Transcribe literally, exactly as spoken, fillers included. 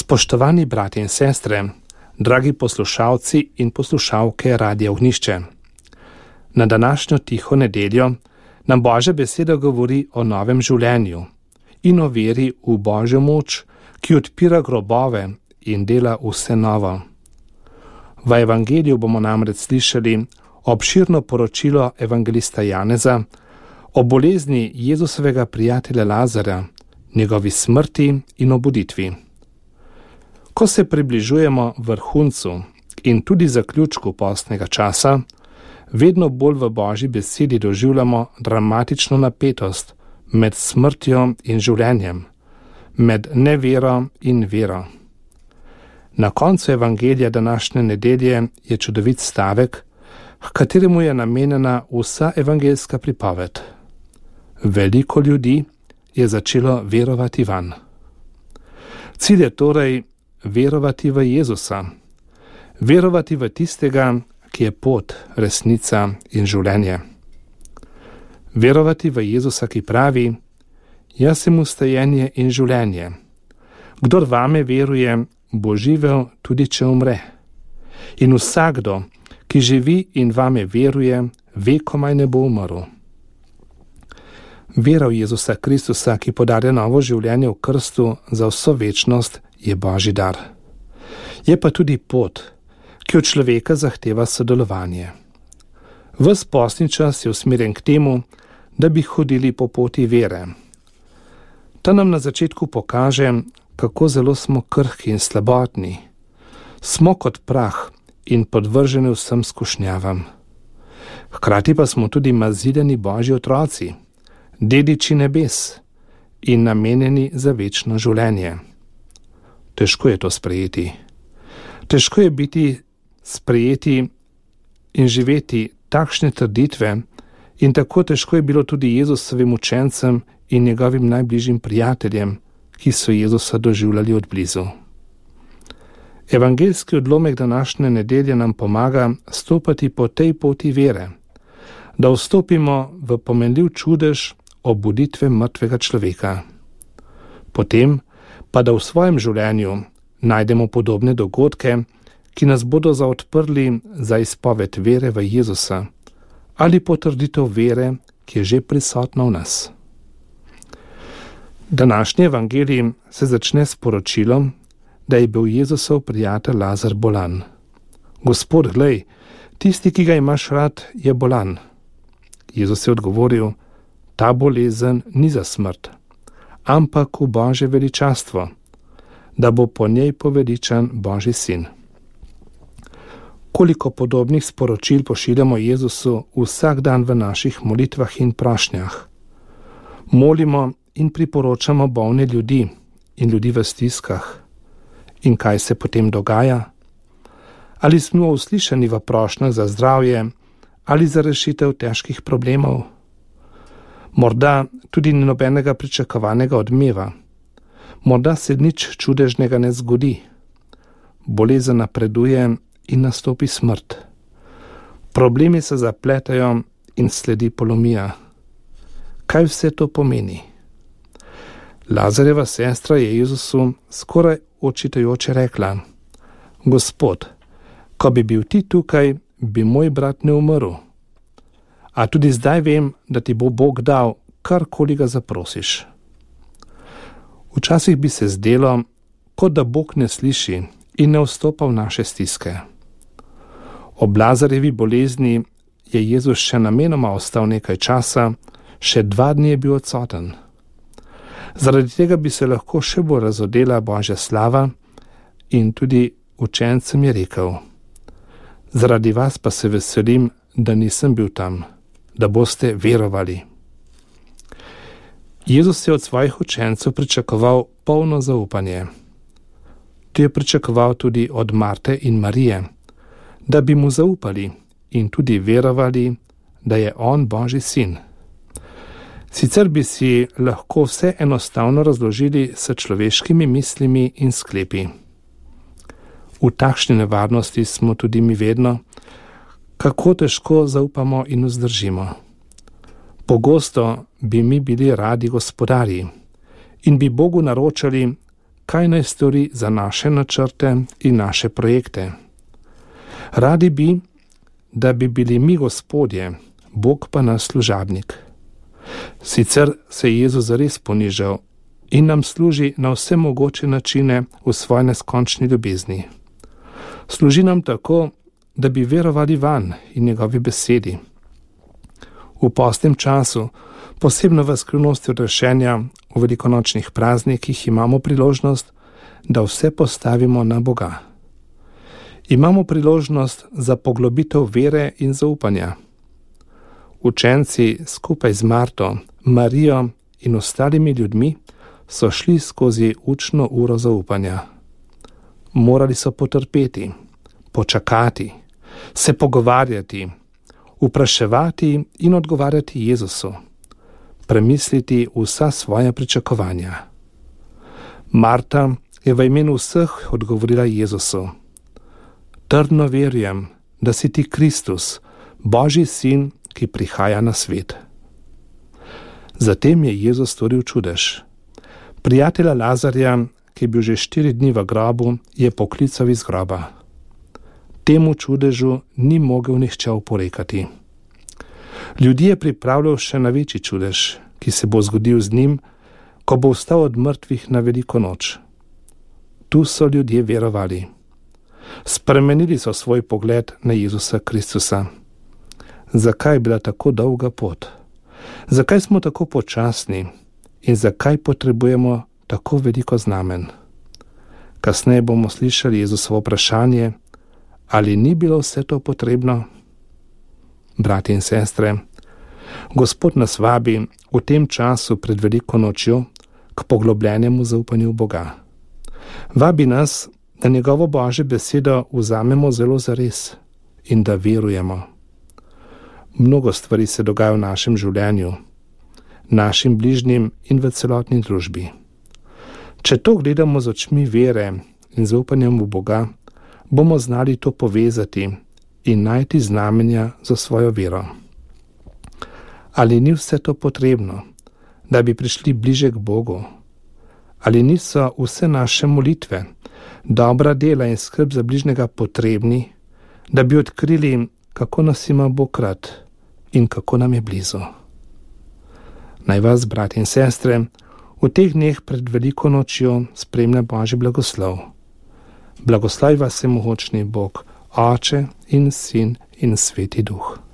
Spoštovani bratje in sestre, dragi poslušalci in poslušalke Radia Ognjišče. Na današnjo tiho nedeljo nam Božja beseda govori o novem življenju in o veri v Božjo moč, ki odpira grobove in dela vse novo. V evangeliju bomo namreč slišali obširno poročilo evangelista Janeza o bolezni Jezusovega prijatelja Lazarja, njegovi smrti in obuditvi. Ko se približujemo vrhuncu in tudi zaključku postnega časa, vedno bolj v Božji besedi doživljamo dramatično napetost med smrtjo in življenjem, med nevero in vero. Na koncu evangelija današnje nedelje je čudovit stavek, h kateremu je namenjena vsa evangeljska pripoved. Veliko ljudi je začelo verovati vanj. Cilj je torej verovati v Jezusa, verovati v tistega, ki je pot, resnica in življenje. Verovati v Jezusa, ki pravi: jaz sem vstajenje in življenje. Kdor vame veruje, bo živel tudi če umre. In vsakdo, ki živi in vame veruje, vekomaj ne bo umrl. Vera v Jezusa Kristusa, ki podarja novo življenje v krstu za vso večnost, je Božji dar. Je pa tudi pot, ki od človeka zahteva sodelovanje. Ves postni čas je usmerjen k temu, da bi hodili po poti vere. Ta nam na začetku pokaže, kako zelo smo krhki in slabotni. Smo kot prah in podvrženi vsem skušnjavam. Hkrati pa smo tudi maziljeni Božji otroci, dediči nebes in namenjeni za večno življenje. Težko je to sprejeti. Težko je biti sprejeti in živeti takšne trditve in tako težko je bilo tudi Jezusovim učencem in njegovim najbližjim prijateljem, ki so Jezusa doživljali od blizu. Evangeljski odlomek današnje nedelje nam pomaga stopati po tej poti vere, da vstopimo v pomenljiv čudež obuditve mrtvega človeka. Potem pa da v svojem življenju najdemo podobne dogodke, ki nas bodo zaodprli za izpoved vere v Jezusa ali potrditev vere, ki je že prisotna v nas. Današnji evangelij se začne s poročilom, da je bil Jezusov prijatelj Lazar bolan. Gospod, glej, tisti, ki ga imaš rad, je bolan. Jezus je odgovoril: ta bolezen ni za smrt, ampak v Božje veličastvo, da bo po njej poveličan Božji sin. Koliko podobnih sporočil pošiljamo Jezusu vsak dan v naših molitvah in prošnjah. Molimo in priporočamo bolne ljudi in ljudi v stiskah. In kaj se potem dogaja? Ali smo uslišani v prošnjah za zdravje ali za rešitev težkih problemov? Morda tudi ni nobenega pričakovanega odmeva. Morda se nič čudežnega ne zgodi. Bolezen napreduje in nastopi smrt. Problemi se zapletajo in sledi polomija. Kaj vse to pomeni? Lazarjeva sestra je Jezusu skoraj očitajoče rekla: Gospod, ko bi bil ti tukaj, bi moj brat ne umrl. A tudi zdaj vem, da ti bo Bog dal, karkoli ga zaprosiš. Včasih bi se zdelo, kot da Bog ne sliši in ne vstopa v naše stiske. Ob Lazarjevi bolezni je Jezus še namenoma ostal nekaj časa, še dva dni je bil odsoten. Zaradi tega bi se lahko še bolj razodela Božja slava in tudi učencem je rekel: zaradi vas pa se veselim, da nisem bil tam, da boste verovali. Jezus je od svojih učencev pričakoval polno zaupanje. To je pričakoval tudi od Marte in Marije, da bi mu zaupali in tudi verovali, da je on Božji sin. Sicer bi si lahko vse enostavno razložili s človeškimi mislimi in sklepi. V takšni nevarnosti smo tudi mi vedno, kako težko zaupamo in vzdržimo. Pogosto bi mi bili radi gospodarji in bi Bogu naročali, kaj naj stori za naše načrte in naše projekte. Radi bi, da bi bili mi gospodje, Bog pa naš služabnik. Sicer se je Jezus zares ponižal in nam služi na vse mogoče načine v svoji neskončni ljubezni. Služi nam tako, da bi verovali vanj in njegovi besedi. V postnem času, posebno v skrivnosti odrešenja, v velikonočnih praznikih imamo priložnost, da vse postavimo na Boga. Imamo priložnost za poglobitev vere in zaupanja. Učenci skupaj z Marto, Marijo in ostalimi ljudmi so šli skozi učno uro zaupanja. Morali so potrpeti, počakati, se pogovarjati, vpraševati in odgovarjati Jezusu, premisliti vsa svoja pričakovanja. Marta je v imenu vseh odgovorila Jezusu: trdno verjam, da si ti Kristus, Božji sin, ki prihaja na svet. Zatem je Jezus storil čudež. Prijatelja Lazarja, ki je bil že štiri dni v grobu, je poklical iz groba. Temu čudežu ni mogel nihče oporekati. Ljudi je pripravljal še na večji čudež, ki se bo zgodil z njim, ko bo vstal od mrtvih na veliko noč. Tu so ljudje verovali. Spremenili so svoj pogled na Jezusa Kristusa. Zakaj je bila tako dolga pot? Zakaj smo tako počasni in zakaj potrebujemo tako veliko znamen? Kasneje bomo slišali Jezusovo vprašanje, ali ni bilo vse to potrebno? Bratje in sestre, Gospod nas vabi v tem času pred veliko nočjo k poglobljenemu zaupanju v Boga. Vabi nas, da njegovo Božje besedo vzamemo zelo zares in da verujemo. Mnogo stvari se dogaja v našem življenju, našim bližnjim in v celotni družbi. Če to gledamo z očmi vere in zaupanjem v Boga, bomo znali to povezati in najti znamenja za svojo vero. Ali ni vse to potrebno, da bi prišli bliže k Bogu? Ali niso vse naše molitve, dobra dela in skrb za bližnjega potrebni, da bi odkrili, kako nas ima Bog rad in kako nam je blizu? Naj vas, bratje in sestre, v teh dneh pred veliko nočjo spremlja Božji blagoslov. Blagoslovi vas vsemogočni Bog, Oče in Sin in Sveti Duh.